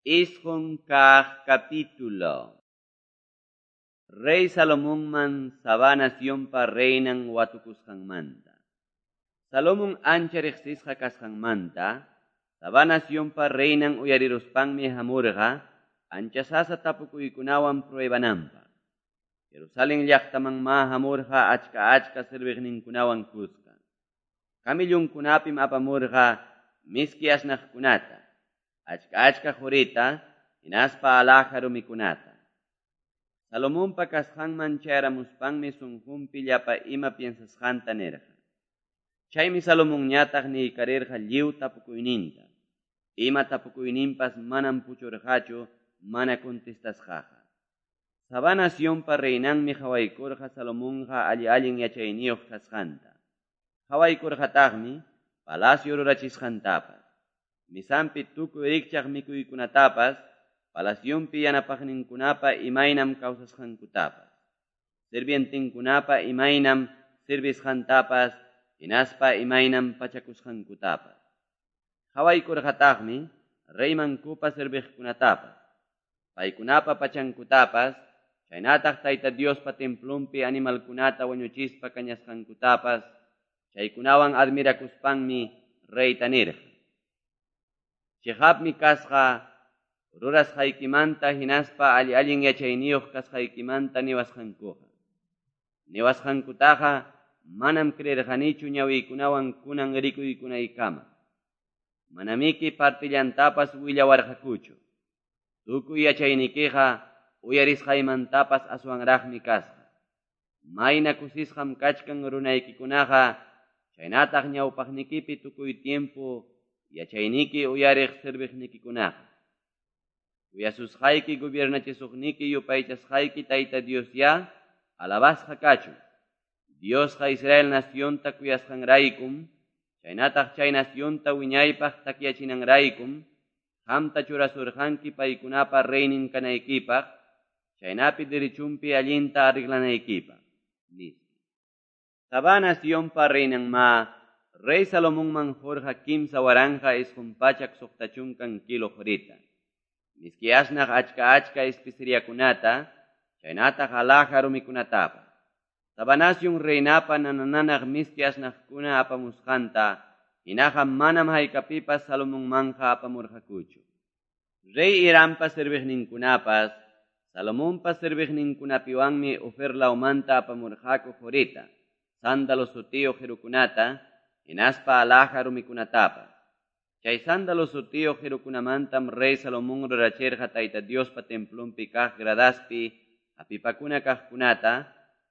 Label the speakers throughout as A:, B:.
A: Isqun kaq capítulo. Rey Salomonman Sabá nacionpa reinan watukusqanmanta. Salomón ancha riqsisqa kasqanmanta, Sabá nacionpa reinan uyariruspanmi hamurqa, ancha sasa tapukuykunawan pruebananpaq. Jerusalén llaqtamanma hamurqa achka achka serviqninkunawan kuska. Kamillunkunapim apamurqa miski asnaqkunata, achka achka qurita, hinaspa alhaja rumikunata. Salomonpa kasqanman chayaramuspanmi sunqunpi llapa ima piensasqanta nirqa. Chaymi Salomonñataq niykarirqa lliw tapukuyninta. Ima tapukuyninpas manam puchurqachu mana contestasqaqa. Sabá nacionpa reinanmi qhawaykurqa Salomonqa alli allin yachayniyuq kasqanta. Qhawaykurqataqmi palacio rurachisqantapas. Misanpi tukuy rikchaq mikuykunatapas, palacionpi yanapaqninkunapa imaynam kawsasqankutapas. Sirvientinkunapa imaynam servisqantapas, hinaspa imaynam pachakusqankutapas. Qhawaykurqataqmi reymankupa serviqkunatapas, paykunapa pachankutapas, chaynataq Tayta Diospa templonpi animalkunata wañuchispa kañasqankutapas, chaykunawan admirakuspanmi reyta nirqa. Chiqapmi kasqa rurasqaykimanta hinaspa alli allin yachayniyuq kasqaykimanta niwasqankuqa. Niwasqankutaqa manam creerqanichu ñawiykunawan kunan rikuykunaykama. Manamiki partillantapas willawarqakuchu. Tukuy yachaynikiqa uyarisqaymantapas aswanraqmi kasqa. Mayna kusisqam kachkan runaykikunaqa, chaynataq ñawpaqnikipi tukuy tiempo yachayniki uyariq serviqnikikunaqa. Uyasusqayki gobiernachisuqniki yupaychasqayki Tayta Dios ya, alabasqa kachun. Diosqa Israel nacionta kuyasqanraykum, chaynataq chay nacionta wiñaypaq takyachinanraykum, qamta churasurqanki paykunapa reynin kanaykipaq, chaynapi derechunpi allinta arreglanaykipaq, nispa. Sabá nacionpa reinanma, rey Salomonman qurqa 3960 kilo qurita. Miski asnaq achka achka especeriakunata, chaynataq alhaja rumikunatapas. Sabá nación reinapa nanananaq miski asnaqkuna apamusqanta, hinaqa manam haykapipas Salomonmanqa apamurqakuchu. Rey Hirampa serviqninkunapas, Salomonpa serviqninkunapiwanmi Ofir lawmanta apamurqaku qurita, sándalo sutiyuq qirukunata, hinaspa alhaja rumikunatapas. Chay sándalo sutiyuq qirukunamantam rey Salomón rurachirqa Tayta Diospa templonpi kaq gradaspi hapipakuna kaqkunata,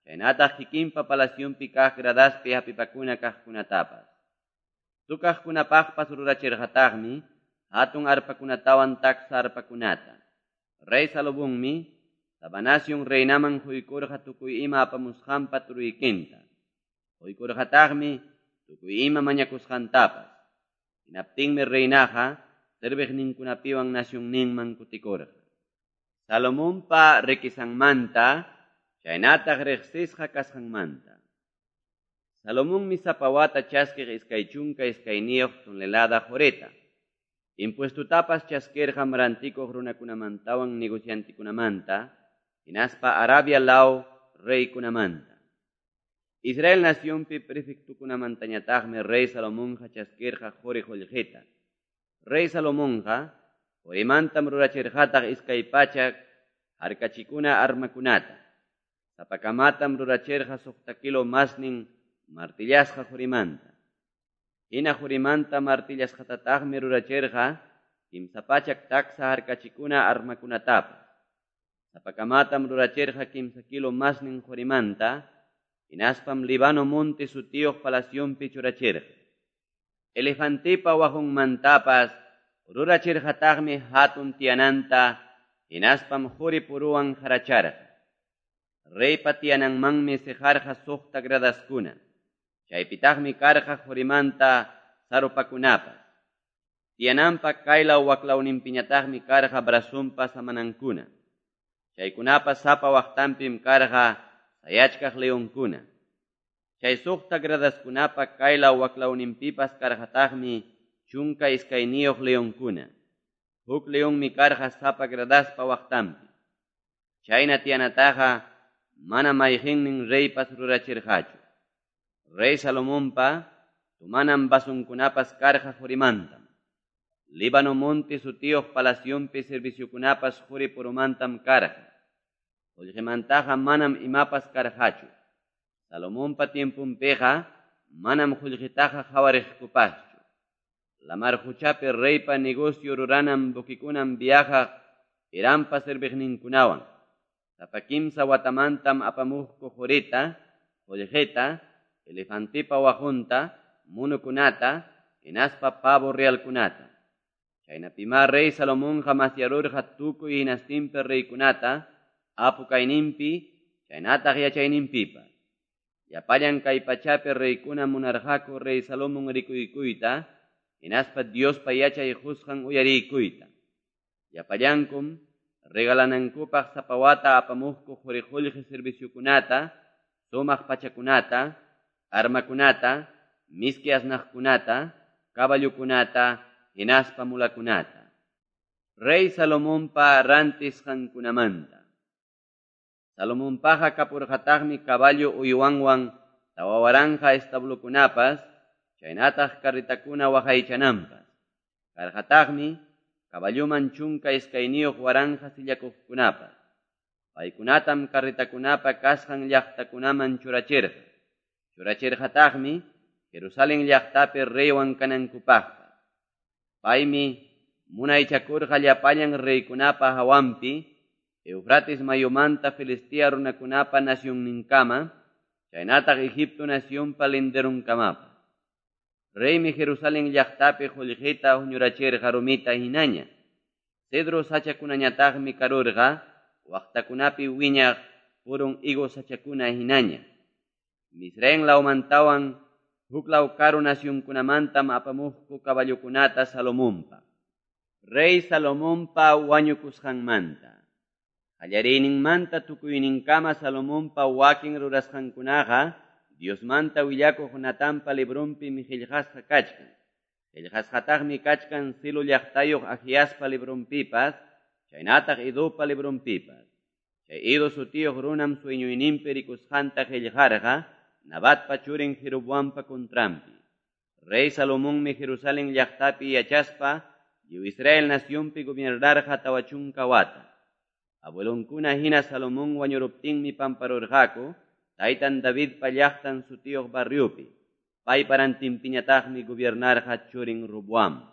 A: chaynataq kikinpa palacionpi kaq gradaspi hapipakuna kaqkunatapas. Tukaqkunapaqpas rurachirqataqmi hatun arpakunatawan taksa arpakunata. Rey Salomonmi Sabá nación reinaman quykurqa tukuy ima apamusqanpa turuykinta. Quykurqataqmi tukuy ima mañakusqantapas. Hinaptinmi reinaqa serviqninkunapiwan nacionninman kutikurqa. Salomonpa riquezanmanta, chaynataq riqsisqa kasqanmanta. Salomonmi sapa wata chaskiq 22 tonelada qurita. Impuestutapas chaskirqam rantikuq runakunamantawan negociantikunamanta, hinaspa Arabia law reykunamanta. Israel nacionpi prefectukunamantañataqmi rey Salomonqa chaskirqa quri qullqita. Rey Salomonqa qurimantam rurachirqataq 200 harkachikuna armakunata. Sapakamatam rurachirqa 6 kilo masnin martillasqa qurimanta. Hina qurimanta martillasqatataqmi rurachirqa 300 taksa harkachikuna armakunatapas. Sapakamatam rurachirqa 3 kilo masnin qurimanta, hinaspam Libano monte sutiyuq palacionpi churachirqa. Elefantipa waqunmantapas rurachirqataqmi hatun tiyananta, hinaspam quri puruwan qaracharqa. Reypa tiyananmanmi siqarqa 6 gradaskuna. Chaypitaqmi karqa qurimanta sarupakunapas. Tiyananpa kaylaw waklawninpiñataqmi karqa brazonpa samanankuna. Chaykunapas sapa waqtanpim karqa sayachkaq leonkuna. Chay 6 gradaskunapa kaylaw waklawninpipas karqataqmi 12 leonkuna. Huk leonmi karqa sapa gradaspa waqtanpi. Chayna tiyanataqa manam mayqennin reypas rurachirqachu. Rey Salomonpa tomanan vasonkunapas karqa qorimantam. Líbano monte sutiyuq palacionpi serviciokunapas qori puromantam karqa. Qollqemantaqa manam imapas karqachu. Salomonpa tiemponpiqa manam qollqetaqa qawariqkupaschu. Lamar qochapi reypa negocio ruranan buquekunam viajaq Hirampa serviqninkunawan. Sapa kimsa watamantam apamuqku qorita, qollqeta, elefantepa waqunta, munukunata, hinaspa pavo realkunata. Chaynapimá rey Salomonqa masyarurqa tukuy hinastinpi reykunata, apu kayninpi, chaynataq yachayninpipas. Llapallan kay pachapi reykuna munarqaku rey Salomón rikuykuyta, hinaspa Diospa yachay qusqan uyariykuyta. Llapallankum regalanankupaq sapa wata apamuqku qori qollqe serviciokunata, sumaq pachakunata, armakunata, miski asnaqkunata, caballokunata, hinaspa mulakunata. Rey Salomonpa rantisqankunamanta. Salomonpaqa kapurqataqmi caballo uywanwan 4000 establokunapas, chaynataq carretakuna waqaychananpas. Karqataqmi caballoman 12,000 sillakuqkunapas. Paykunatam carretakunapa kasqan llaqtakunaman churachirqa. Churachirqataqmi Jerusalén llaqtapi reywan kanankupaqpas. Paymi munaychakurqa llapallan reykunapa hawanpi, Eufrates mayumanta Filistea runakunapa nacionninkama, chaynataq Egipto nacionpa linderunkamapas. Reymi Jerusalén llaqtapi qollqeta huñurachirqa rumita hinaña. Cedro sachakunañataqmi karurqa, waqtakunapi wiñaq purun higo sachakuna hinaña. Misraim lawmantawan huklaw karu nacionkunamantam apamuqku caballokunata Salomonpa. Rey Salomonpa wañukusqanmanta. Qallariyninmanta tukuyninkama Salomonpa wakin rurasqankunaqa Diosmanta willakuq Natanpa libronpimi qillqasqa kachkan. Qillqasqataqmi kachkan Silo llaqtayuq Ahiaspa libronpipas, chaynataq Idopa libronpipas. Chay Ido sutiyuq runam sueñoyninpi rikusqanta qillqarqa Nabatpa churin Jeroboampa contranpi. Rey Salomonmi Jerusalén llaqtapi yachaspa lliw Israel nacionpi gobernarqa 40 wata. Abuelonkuna hina Salomón wañuruptinmi pamparurqaku taytan Davidpa llaqtan sutiyuq barriopi. Paypa rantinpiñataqmi gobernarqa churin Roboam.